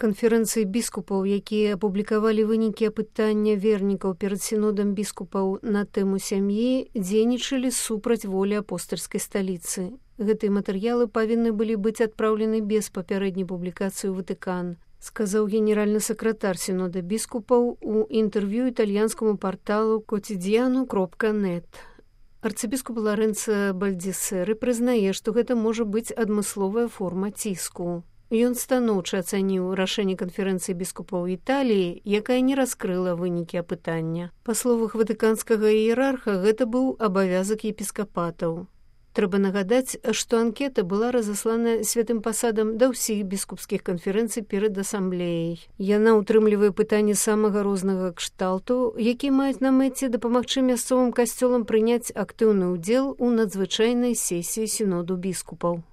Канферэнцыі біскупаў, якія апублікавалі вынікі апытання вернікаў перад сінодам біскупаў на тэму сям'і, дзейнічалі супраць волі апостальскай сталіцы. Гэтыя матэрыялы павінны былі быць адпраўлены без папярэдняй публікацыі ў Ватыкан, сказаў генеральны сакратар сінода біскупаў у інтэрв'ю італьянскаму парталу quotidiano.net. Арцыбіскуп Ларэнца Бальдзесеры прызнае, што гэта можа быць адмысловая форма ціску. Ён станоўча ацаніў рашэнне канферэнцыі біскупаў Італіі, якая не раскрыла вынікі апытання. Па словах ватыканскага іерарха, гэта быў абавязак епіскапатаў. Трэба нагадаць, што анкета была разаслана святым пасадам да ўсіх біскупскіх канферэнцый перад асамблеяй. Яна ўтрымлівае пытанні самага рознага кшталту, якія маюць на мэце дапамагчы мясцовым касцёлам прыняць актыўны ўдзел у надзвычайнай сесіі сіноду біскупаў.